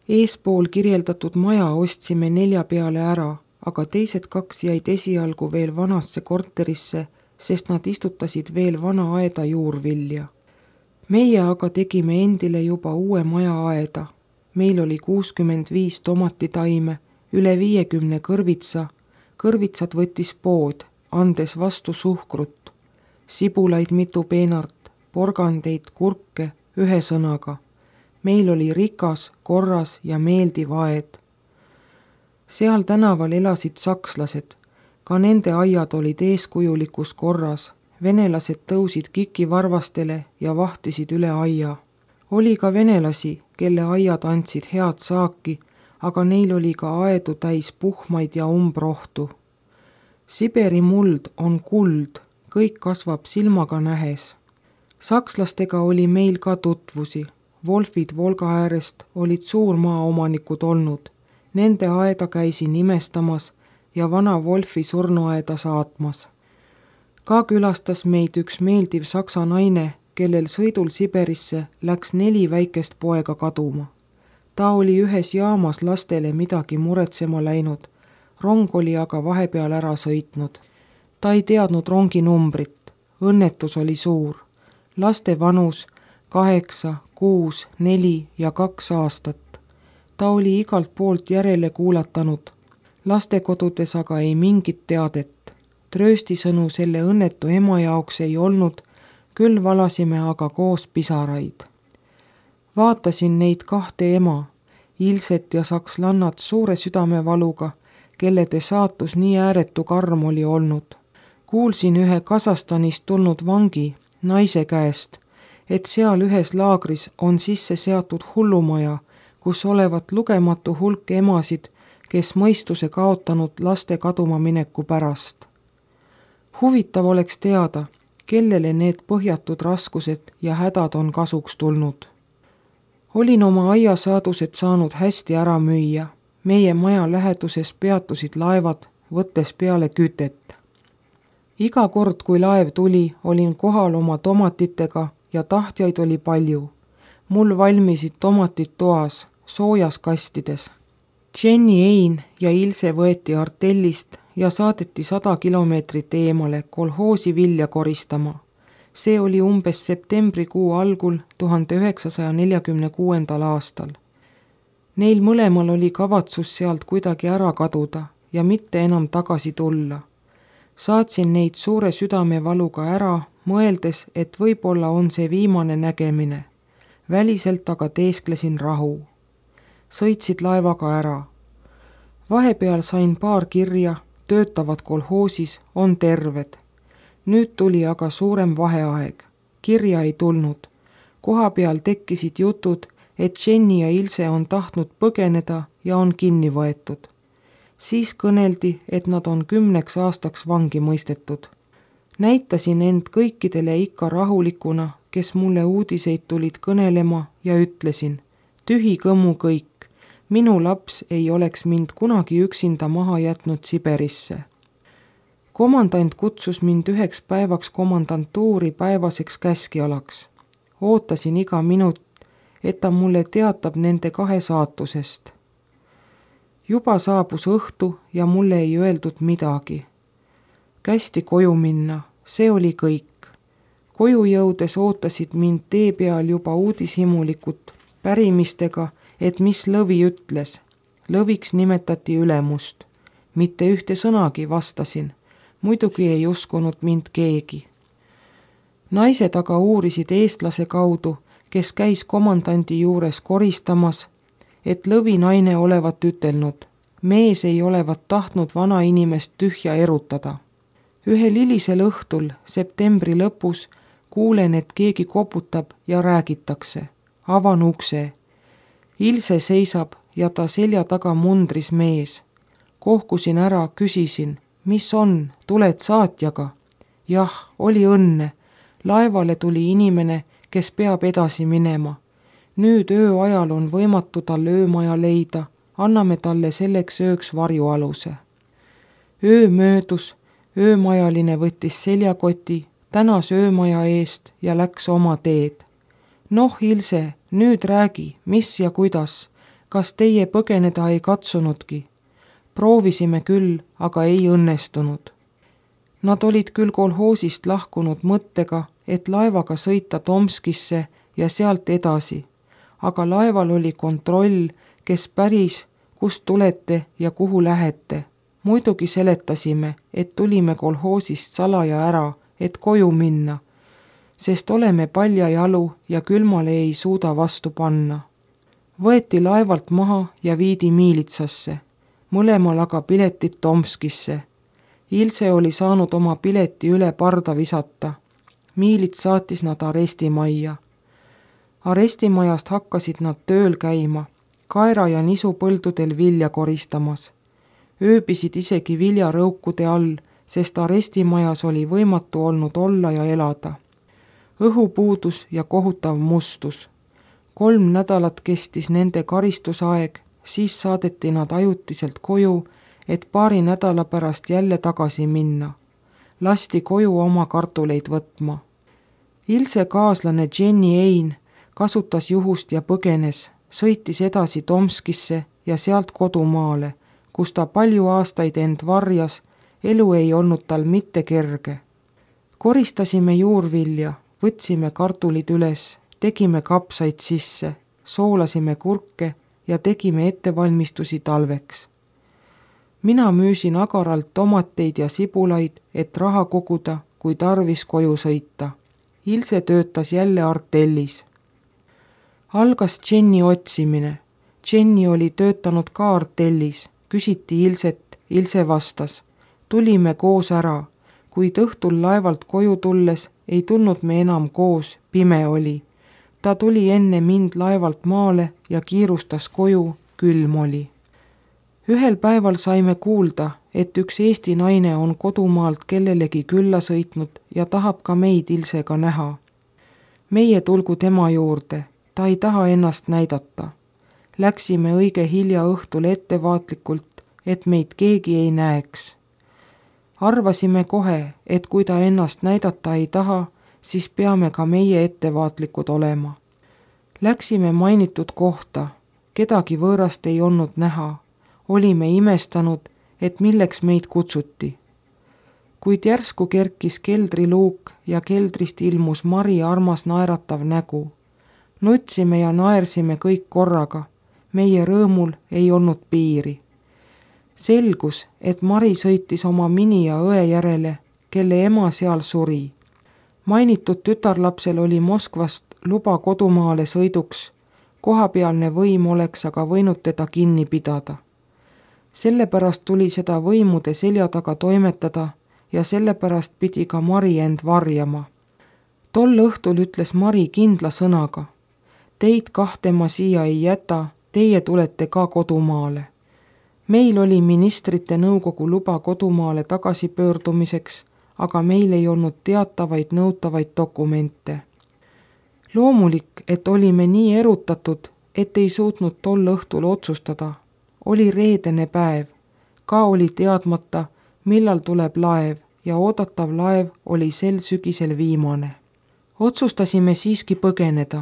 Eespool kirjeldatud maja ostsime 4 peale ära, aga teised 2 jäid esialgu veel vanasse korterisse, sest nad istutasid veel vana aeda juurvilja. Meie aga tegime endile juba uue maja aeda. Meil oli 65 tomatitaime, üle 50 kõrvitsa. Kõrvitsad võttis pood, andes vastu suhkrut, sibulaid mitu peenart, porgandeid, kurke, ühesõnaga. Meil oli rikas, korras ja meeldiv aed. Seal tänaval elasid sakslased, ka nende aiad olid eeskujulikus korras. Venelased tõusid kikivarvastele ja vahtisid üle aia. Oli ka venelasi, kelle aiad andsid head saaki, aga neil oli ka aedu täis puhmaid ja umbrohtu. Siberi muld on kuld, kõik kasvab silmaga nähes. Sakslastega oli meil ka tutvusi. Wolfid Volga äärest olid suurmaaomanikud olnud. Nende aeda käisin imestamas ja vana Wolfi surnuaeda saatmas. Ka külastas meid üks meeldiv saksa naine, kellel sõidul Siberisse läks 4 väikest poega kaduma. Ta oli ühes jaamas lastele midagi muretsema läinud, rong oli aga vahepeal ära sõitnud. Ta ei teadnud rongi numbrit, õnnetus oli suur. Laste vanus 8, 6, 4 ja 2 aastat. Ta oli igalt poolt järele kuulatanud, lastekodudes aga ei mingit teadet. Trööstisõnu selle õnnetu ema jaoks ei olnud, küll valasime aga koos pisaraid. Vaatasin neid 2 ema, Ilset ja sakslannat suure südamevaluga, kellede saatus nii ääretu karm oli olnud. Kuulsin ühe Kasahstanist tulnud vangi, naise käest, et seal ühes laagris on sisse seatud hullumaja, kus olevat lugematu hulk emasid, kes mõistuse kaotanud laste kaduma mineku pärast. Huvitav oleks teada, kellele need põhjatud raskused ja hädad on kasuks tulnud. Olin oma aiasaadused saanud hästi ära müüa. Meie maja läheduses peatusid laevad, võttes peale kütet. Iga kord, kui laev tuli, olin kohal oma tomatitega ja tahtjaid oli palju. Mul valmisid tomatid toas, soojas kastides. Jenny Ein ja Ilse võeti artellist ja saadeti 100 kilomeetrit eemale kolhoosi vilja koristama. See oli umbes septembrikuu algul 1946. aastal. Neil mõlemal oli kavatsus sealt kuidagi ära kaduda ja mitte enam tagasi tulla. Saatsin neid suure südamevaluga ära, mõeldes, et võib-olla on see viimane nägemine. Väliselt aga teesklesin rahu. Sõitsid laevaga ära. Vahepeal sain paar kirja, töötavad kolhoosis, on terved. Nüüd tuli aga suurem vaheaeg. Kirja ei tulnud. Koha peal tekkisid jutud, et Jenny ja Ilse on tahtnud põgeneda ja on kinni võetud. Siis kõneldi, et nad on 10 aastaks vangi mõistetud. Näitasin end kõikidele ikka rahulikuna, kes mulle uudiseid tulid kõnelema ja ütlesin, tühi kõmmu kõik. Minu laps ei oleks mind kunagi üksinda maha jätnud Siberisse. Komandant kutsus mind 1 päevaks komandantuuri päevaseks käskjalaks. Ootasin iga minut, et ta mulle teatab nende 2 saatusest. Juba saabus õhtu ja mulle ei öeldud midagi. Kästi koju minna, see oli kõik. Koju jõudes ootasid mind tee peal juba uudishimulikud pärimistega, et mis Lõvi ütles. Lõviks nimetati ülemust. Mitte ühte sõnagi vastasin. Muidugi ei uskunud mind keegi. Naised aga uurisid eestlase kaudu, kes käis komandandi juures koristamas, et Lõvi naine olevat ütelnud. Mees ei olevat tahtnud vana inimest tühja erutada. Ühel hilisel õhtul, septembri lõpus, kuulen, et keegi koputab ja räägitakse. Avan ukse. Ilse seisab ja ta selja taga mundris mees. Kohkusin ära, küsisin, mis on, tuled saatjaga? Jah, oli õnne. Laevale tuli inimene, kes peab edasi minema. Nüüd ööajal on võimatu talle öömaja leida, anname talle selleks ööks varjualuse. Öö möödus, öömajaline võttis seljakoti, tänas öömaja eest ja läks oma teed. Noh, Ilse, nüüd räägi, mis ja kuidas. kas teie põgeneda ei katsunudki? Proovisime küll, aga ei õnnestunud. Nad olid küll kolhoosist lahkunud mõttega, et laevaga sõita Tomskisse ja sealt edasi, aga laeval oli kontroll, kes päris, kust tulete ja kuhu lähete. Muidugi seletasime, et tulime kolhoosist salaja ära, et koju minna, sest oleme paljajalu ja külmale ei suuda vastu panna. Võeti laevalt maha ja viidi miilitsasse, mõlemal aga piletid Tomskisse. Ilse oli saanud oma pileti üle parda visata. Miilits saatis nad arestimajja. Arestimajast hakkasid nad tööl käima, kaera- ja nisupõldudel vilja koristamas. Ööbisid isegi viljarõukude all, sest arestimajas oli võimatu olnud olla ja elada. Õhupuudus ja kohutav mustus. 3 nädalat kestis nende karistusaeg, siis saadeti nad ajutiselt koju, et paari nädala pärast jälle tagasi minna. Lasti koju oma kartuleid võtma. Ilse kaaslane Jenny Ein kasutas juhust ja põgenes, sõitis edasi Tomskisse ja sealt kodumaale, kus ta palju aastaid end varjas, elu ei olnud tal mitte kerge. Koristasime juurvilja, võtsime kartulid üles, tegime kapsaid sisse, soolasime kurke ja tegime ettevalmistusi talveks. Mina müüsin agaralt tomateid ja sibulaid, et raha koguda, kui tarvis koju sõita. Ilse töötas jälle artellis. Algas Jenny otsimine. Jenny oli töötanud ka artellis. Küsiti Ilset, Ilse vastas. Tulime koos ära. Kuid õhtul laevalt koju tulles ei tulnud me enam koos, pime oli. Ta tuli enne mind laevalt maale ja kiirustas koju, külm oli. Ühel päeval saime kuulda, et üks Eesti naine on kodumaalt kellelegi külla sõitnud ja tahab ka meid Ilsega näha. Meie tulgu tema juurde, ta ei taha ennast näidata. Läksime õige hilja õhtul ettevaatlikult, et meid keegi ei näeks. Arvasime kohe, et kui ta ennast näidata ei taha, siis peame ka meie ettevaatlikud olema. Läksime mainitud kohta, kedagi võõrast ei olnud näha. Olime imestanud, et milleks meid kutsuti. Kuid järsku kerkis keldriluuk ja keldrist ilmus Mari armas naeratav nägu. Nutsime ja naersime kõik korraga. Meie rõõmul ei olnud piiri. Selgus, et Mari sõitis oma mini ja õe järele, kelle ema seal suri. Mainitud tütarlapsel oli Moskvast luba kodumaale sõiduks. Kohapealne võim oleks aga võinud teda kinni pidada. Sellepärast tuli seda võimude selja taga toimetada ja sellepärast pidi ka Mari end varjama. Tol õhtul ütles Mari kindla sõnaga. Teid 2 ma siia ei jäta, teie tulete ka kodumaale. Meil oli ministrite nõukogu luba kodumaale tagasipöördumiseks, aga meil ei olnud teatavaid nõutavaid dokumente. Loomulik, et olime nii erutatud, et ei suutnud tol õhtul otsustada. Oli reedene päev, ka oli teadmata, millal tuleb laev ja oodatav laev oli sel sügisel viimane. Otsustasime siiski põgeneda.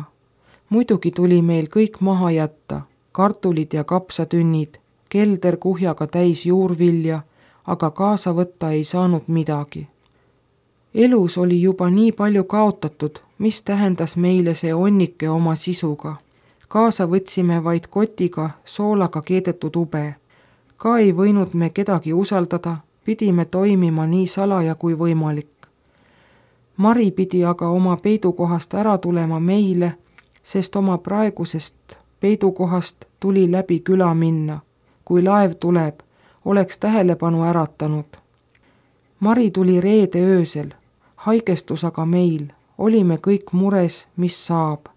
Muidugi tuli meil kõik maha jätta, kartulid ja kapsatünnid, kelder kuhjaga täis juurvilja, aga kaasa võtta ei saanud midagi. Elus oli juba nii palju kaotatud, mis tähendas meile see onnike oma sisuga. Kaasa võtsime vaid kotiga soolaga keedetud ube. Ka ei võinud me kedagi usaldada, pidime toimima nii salaja kui võimalik. Mari pidi aga oma peidukohast ära tulema meile, sest oma praegusest peidukohast tuli läbi küla minna. Kui laev tuleb, oleks tähelepanu äratanud. Mari tuli reede öösel, haigestus aga meil, olime kõik mures, mis saab.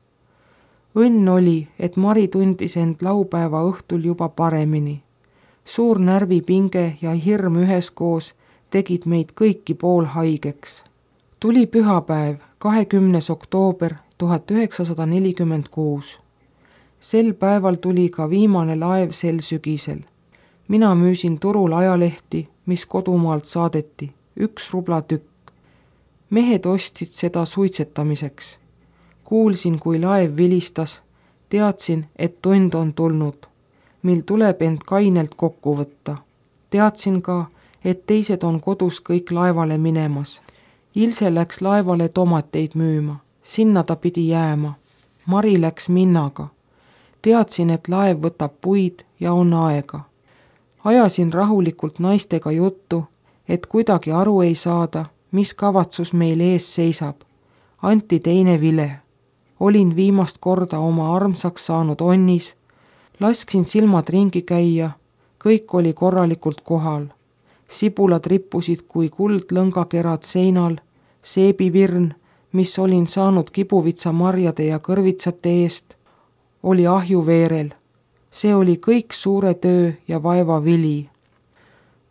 Õnn oli, et Mari tundis end laupäeva õhtul juba paremini. Suur närvipinge ja hirm üheskoos tegid meid kõiki poolhaigeks. Tuli pühapäev, 20. oktoober 1946. Sel päeval tuli ka viimane laev sel sügisel. Mina müüsin turul ajalehti, mis kodumaalt saadeti, 1 rubla tükk. Mehed ostsid seda suitsetamiseks. Kuulsin, kui laev vilistas, teadsin, et tund on tulnud. mil tuleb end kainelt kokku võtta. Teadsin ka, et teised on kodus kõik laevale minemas. Ilse läks laevale tomateid müüma, sinna ta pidi jääma. Mari läks Minnaga. Teadsin, et laev võtab puid ja on aega. Ajasin rahulikult naistega juttu, et kuidagi aru ei saada, mis kavatsus meil ees seisab. Anti teine vile. Olin viimast korda oma armsaks saanud onnis, lasksin silmad ringi käia, kõik oli korralikult kohal. Sibulad rippusid kui kuldlõngakerad seinal, seebivirn, mis olin saanud kibuvitsamarjade ja kõrvitsate eest, oli ahjuveerel. See oli kõik suure töö ja vaeva vili.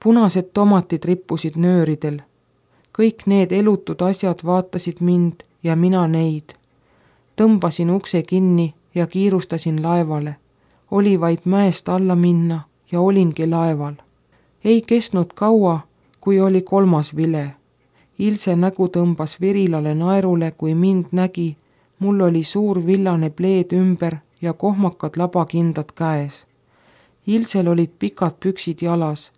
Punased tomatid rippusid nööridel. Kõik need elutud asjad vaatasid mind ja mina neid. Tõmbasin ukse kinni ja kiirustasin laevale. Oli vaid mäest alla minna ja olingi laeval. Ei kestnud kaua, kui oli kolmas vile. Ilse nägu tõmbas virilale naerule, kui mind nägi. Mul oli suur villane pleed ümber ja kohmakad labakindad käes. Ilsel olid pikad püksid jalas,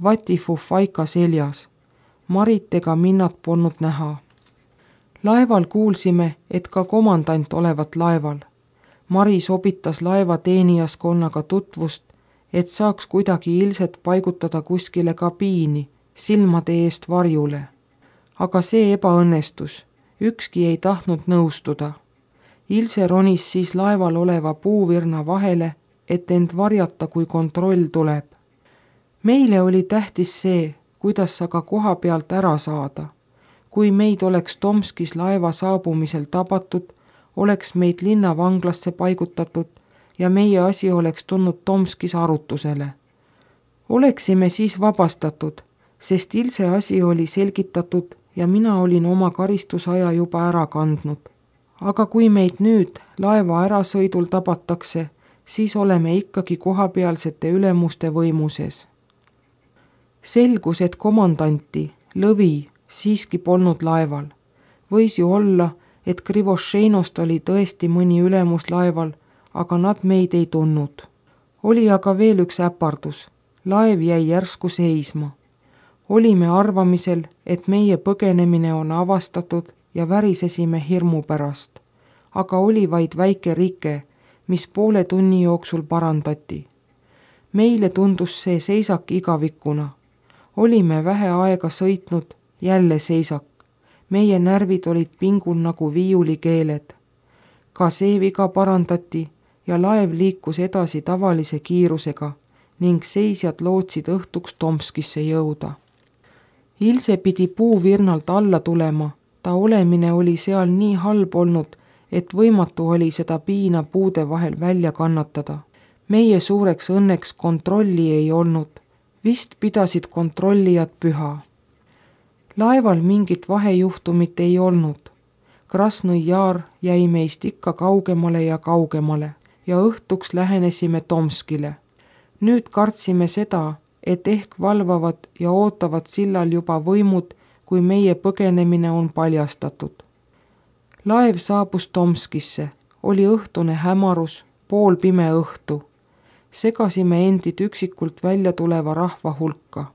vatifufaika seljas. Marit ega Minnat polnud näha. Laeval kuulsime, et ka komandant olevat laeval. Mari sobitas laeva teenijaskonnaga tutvust, et saaks kuidagi Ilset paigutada kuskile kabiini, silmade eest varjule. Aga see ebaõnnestus, ükski ei tahtnud nõustuda. Ilse ronis siis laeval oleva puuvirna vahele, et end varjata, kui kontroll tuleb. Meile oli tähtis see, kuidas aga koha pealt ära saada. Kui meid oleks Tomskis laeva saabumisel tabatud, oleks meid linnavanglasse paigutatud ja meie asi oleks tulnud Tomskis arutusele. Oleksime siis vabastatud, sest Ilse asi oli selgitatud ja mina olin oma karistusaja juba ära kandnud. Aga kui meid nüüd laeva ärasõidul tabatakse, siis oleme ikkagi kohapealsete ülemuste võimuses. Selgus, et komandanti, Lõvi, siiski polnud laeval. Võis ju olla, et Krivošeinost oli tõesti mõni ülemus laeval, aga nad meid ei tundnud. Oli aga veel üks äpardus. Laev jäi järsku seisma. Olime arvamisel, et meie põgenemine on avastatud ja värisesime hirmu pärast. Aga oli vaid väike rike, mis poole tunni jooksul parandati. Meile tundus see seisak igavikuna. Olime vähe aega sõitnud, jälle seisak. Meie närvid olid pingul nagu viiulikeeled. Ka see viga parandati ja laev liikus edasi tavalise kiirusega ning seisjad lootsid õhtuks Tomskisse jõuda. Ilse pidi puuvirnalt alla tulema, ta olemine oli seal nii halb olnud, et võimatu oli seda piina puude vahel välja kannatada. Meie suureks õnneks kontrolli ei olnud, vist pidasid kontrollijad püha. Laeval mingit vahejuhtumit ei olnud. Krasnõi Jaar jäi meist ikka kaugemale ja kaugemale ja õhtuks lähenesime Tomskile. Nüüd kartsime seda, et ehk valvavad ja ootavad sillal juba võimud, kui meie põgenemine on paljastatud. Laev saabus Tomskisse, oli õhtune hämarus, poolpime õhtu. Segasime endid üksikult välja tuleva rahva hulka.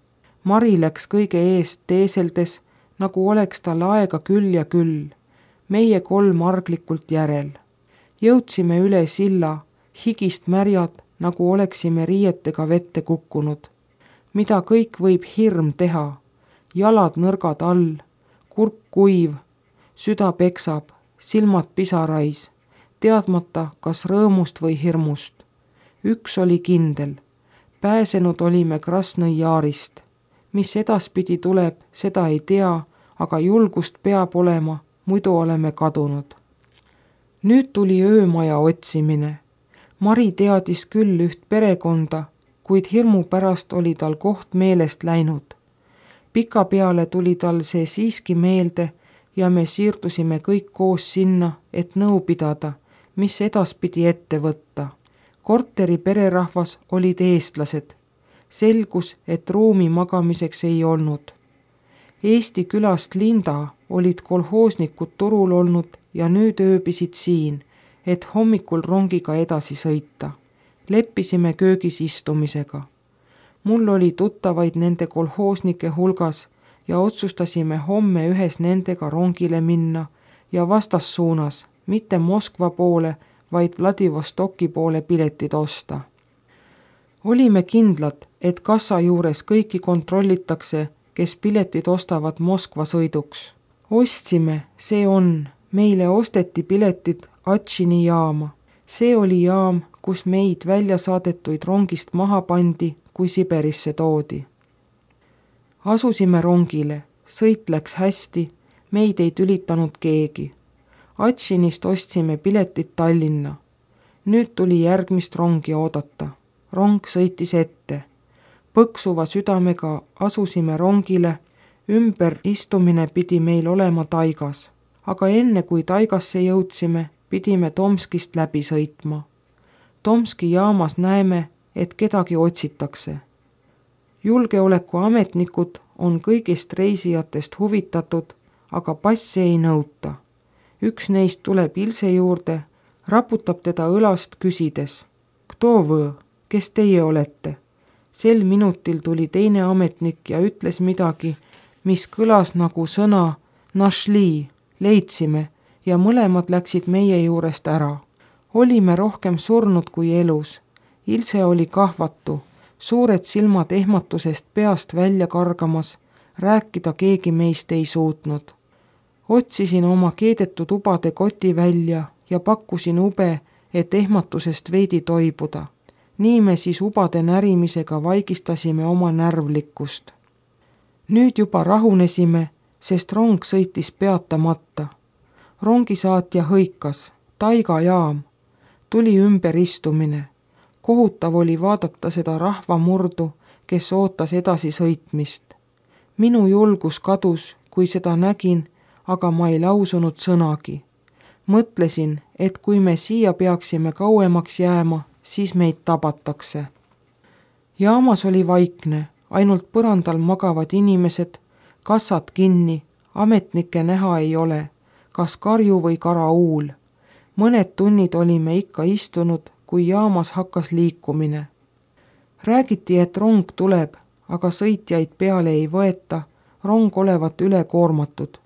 Mari läks kõige eest teeseldes, nagu oleks tal aega küll ja küll. Meie kolm arglikult järel. Jõudsime üle silla, higist märjad, nagu oleksime riietega vette kukkunud. Mida kõik võib hirm teha? Jalad nõrgad all, kurk kuiv, süda peksab, silmad pisarais, teadmata, kas rõõmust või hirmust. Üks oli kindel, pääsenud olime Krasnõi Jaarist. Mis edaspidi tuleb, seda ei tea, aga julgust peab olema, muidu oleme kadunud. Nüüd tuli öömaja otsimine. Mari teadis küll üht perekonda, kuid hirmu pärast oli tal koht meelest läinud. Pikapeale tuli tal see siiski meelde ja me siirdusime kõik koos sinna, et nõu pidada, mis edaspidi ette võtta. Korteri pererahvas olid eestlased. Selgus, et ruumi magamiseks ei olnud. Eesti külast Linda olid kolhoosnikud turul olnud ja nüüd ööbisid siin, et hommikul rongiga edasi sõita. Leppisime köögis istumisega. Mul oli tuttavaid nende kolhoosnike hulgas ja otsustasime homme ühes nendega rongile minna ja vastassuunas, mitte Moskva poole, vaid Vladivostoki poole piletid osta. Olime kindlad, et kassa juures kõiki kontrollitakse, kes piletid ostavad Moskva sõiduks. Ostsime, see on, meile osteti piletid Atšini jaama. See oli jaam, kus meid välja saadetuid rongist maha pandi, kui Siberisse toodi. Asusime rongile, sõit läks hästi, meid ei tülitanud keegi. Atšinist ostsime piletid Tallinna. Nüüd tuli järgmist rongi oodata. Rong sõitis ette. Põksuva südamega asusime rongile, ümber istumine pidi meil olema taigas, aga enne kui taigasse jõudsime, pidime Tomskist läbi sõitma. Tomski jaamas näeme, et kedagi otsitakse. Julgeolekuametnikud on kõigist reisijatest huvitatud, aga passi ei nõuta. Üks neist tuleb Ilse juurde, raputab teda õlast küsides. Kto võ, kes teie olete? Sel minutil tuli teine ametnik ja ütles midagi, mis kõlas nagu sõna našli, leidsime, ja mõlemad läksid meie juurest ära. Olime rohkem surnud kui elus. Ilse oli kahvatu, suured silmad ehmatusest peast välja kargamas, rääkida keegi meist ei suutnud. Otsisin oma keedetud ubade koti välja ja pakkusin ube, et ehmatusest veidi toibuda. Nii me siis ubade närimisega vaigistasime oma närvlikkust. Nüüd juba rahunesime, sest rong sõitis peatamata. Rongisaatja hõikas, taigajaam, tuli ümberistumine. Kohutav oli vaadata seda rahvamurdu, kes ootas edasi sõitmist. Minu julgus kadus, kui seda nägin, aga ma ei lausunud sõnagi. Mõtlesin, et kui me siia peaksime kauemaks jääma, siis meid tabatakse. Jaamas oli vaikne, ainult põrandal magavad inimesed, kassad kinni, ametnikke näha ei ole, kas karju või karauul. Mõned tunnid olime ikka istunud, kui jaamas hakkas liikumine. Räägiti, et rong tuleb, aga sõitjaid peale ei võeta, rong olevat ülekoormatud.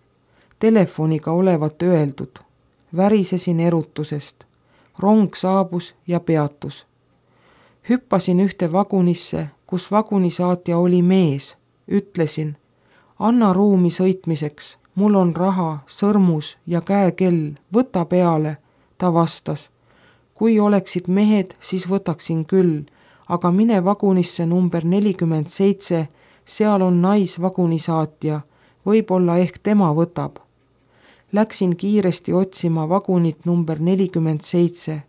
Telefoniga olevat öeldud. Värisesin erutusest. Rong saabus ja peatus. Hüppasin ühte vagunisse, kus vagunisaatja oli mees. Ütlesin, anna ruumi sõitmiseks, mul on raha, sõrmus ja käekell, võta peale. Ta vastas, kui oleksid mehed, siis võtaksin küll, aga mine vagunisse number 47, seal on naisvagunisaatja, võib-olla ehk tema võtab. Läksin kiiresti otsima vagunit number 47.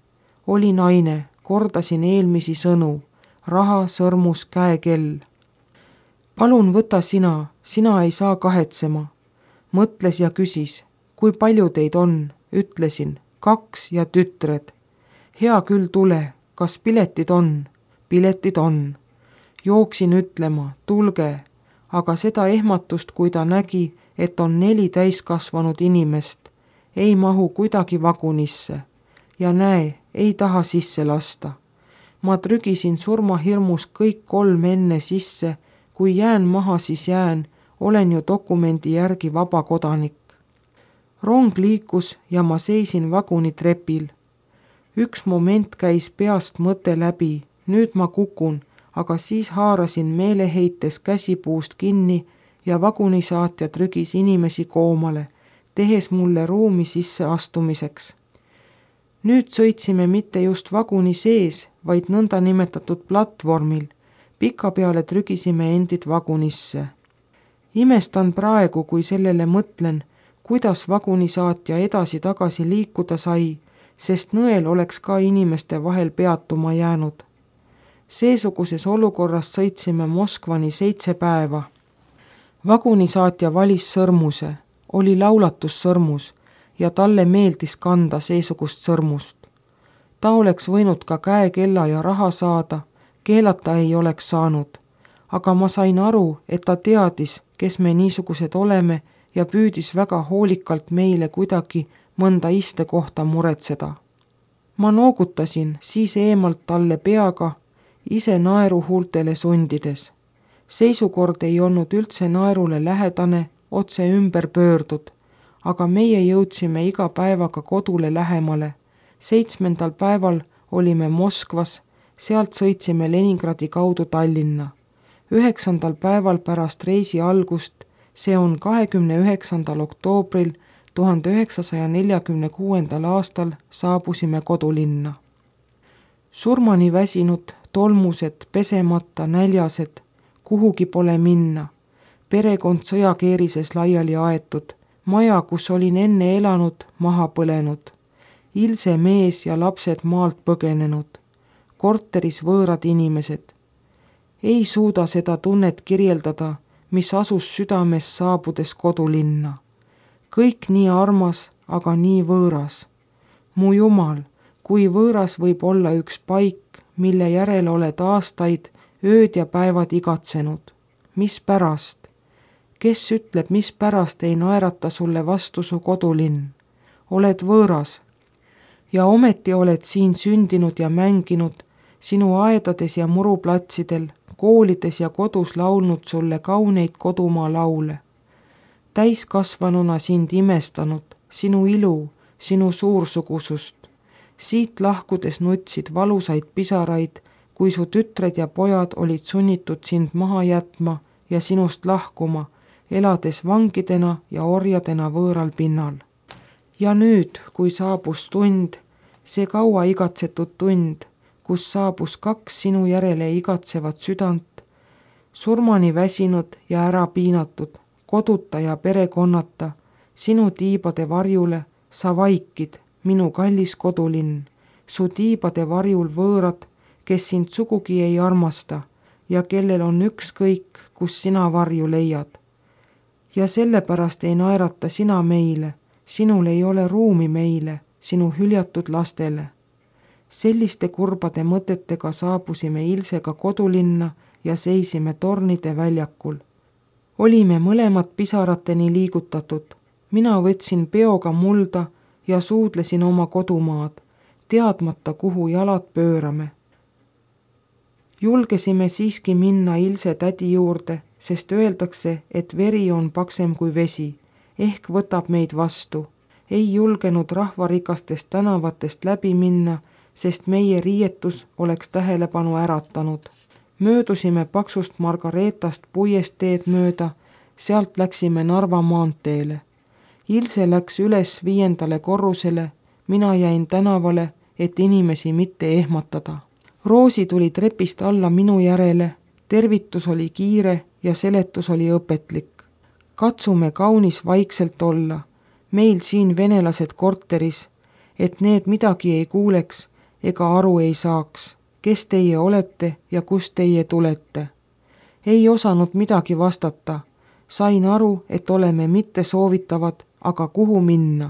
Oli naine, kordasin eelmisi sõnu, raha, sõrmus, käekell. Palun võta sina ei saa kahetsema. Mõtles ja küsis, kui palju teid on, ütlesin, 2 ja tütred. Hea küll tule, kas piletid on? Piletid on. Jooksin ütlema, tulge, aga seda ehmatust, kui ta nägi, et on 4 täiskasvanud inimest, ei mahu kuidagi vagunisse. Ja näe, ei taha sisse lasta. Ma trügisin surmahirmus kõik 3 enne sisse, kui jään maha, siis jään, olen ju dokumendi järgi vaba kodanik. Rong liikus ja ma seisin vaguni trepil. Üks moment käis peast mõte läbi, nüüd ma kukun, aga siis haarasin meeleheites käsipuust kinni ja vagunisaatja trügis inimesi koomale, tehes mulle ruumi sisse astumiseks. Nüüd sõitsime mitte just vaguni sees, vaid nõnda nimetatud platvormil. Pikapeale trügisime endid vagunisse. Imestan praegu, kui sellele mõtlen, kuidas vagunisaatja edasi-tagasi liikuda sai, sest nõel oleks ka inimeste vahel peatuma jäänud. Seesuguses olukorras sõitsime Moskvani 7 päeva. Vagunisaatja valis sõrmuse, oli laulatussõrmus ja talle meeldis kanda seesugust sõrmust. Ta oleks võinud ka käekella ja raha saada, keelata ei oleks saanud, aga ma sain aru, et ta teadis, kes me niisugused oleme ja püüdis väga hoolikalt meile kuidagi mõnda istekohta muretseda. Ma noogutasin siis eemalt talle peaga, ise naeru huultele sundides. Seisukord ei olnud üldse naerule lähedane, otse ümber pöördud, aga meie jõudsime iga päevaga kodule lähemale. 7. päeval olime Moskvas, sealt sõitsime Leningradi kaudu Tallinna. 9. päeval pärast reisi algust, see on 29. oktoobril 1946. aastal saabusime kodulinna. Surmani väsinud, tolmused, pesemata, näljased, kuhugi pole minna. Perekond sõjakeerises laiali aetud, maja, kus olin enne elanud, maha põlenud. Ilse mees ja lapsed maalt põgenenud. Korteris võõrad inimesed. Ei suuda seda tunnet kirjeldada, mis asus südames saabudes kodulinna. Kõik nii armas, aga nii võõras. Mu Jumal, kui võõras võib olla üks paik, mille järele oled aastaid ööd ja päevad igatsenud. Mis pärast? Kes ütleb, mis pärast ei naerata sulle vastu su kodulinn? Oled võõras. Ja ometi oled siin sündinud ja mänginud, sinu aedades ja muruplatsidel, koolides ja kodus laulnud sulle kauneid kodumaa laule. Täiskasvanuna sind imestanud, sinu ilu, sinu suursugusust. Siit lahkudes nutsid valusaid pisaraid, kui su tütred ja pojad olid sunnitud sind maha jätma ja sinust lahkuma, elades vangidena ja orjadena võõral pinnal. Ja nüüd, kui saabus tund, see kaua igatsetud tund, kus saabus 2 sinu järele igatsevat südant, surmani väsinud ja ära piinatud, koduta ja perekonnata, sinu tiibade varjule sa vaikid, minu kallis kodulinn, su tiibade varjul võõrad, kes sind sugugi ei armasta ja kellel on ükskõik, kus sina varju leiad. Ja sellepärast ei naerata sina meile, sinul ei ole ruumi meile, sinu hüljatud lastele. Selliste kurbade mõtetega saabusime Ilsega kodulinna ja seisime Tornide väljakul. Olime mõlemad pisarateni liigutatud. Mina võtsin peoga mulda ja suudlesin oma kodumaad, teadmata, kuhu jalad pöörame. Julgesime siiski minna Ilse tädi juurde, sest öeldakse, et veri on paksem kui vesi, ehk võtab meid vastu. Ei julgenud rahvarikastest tänavatest läbi minna, sest meie riietus oleks tähelepanu äratanud. Möödusime paksust Margaretast puiesteed mööda, sealt läksime Narva maanteele. Ilse läks üles 5. korrusele, mina jäin tänavale, et inimesi mitte ehmatada. Roosi tuli trepist alla minu järele, tervitus oli kiire ja seletus oli õpetlik. Katsume kaunis vaikselt olla, meil siin venelased korteris, et need midagi ei kuuleks ega aru ei saaks, kes teie olete ja kust teie tulete. Ei osanud midagi vastata, sain aru, et oleme mitte soovitavad, aga kuhu minna.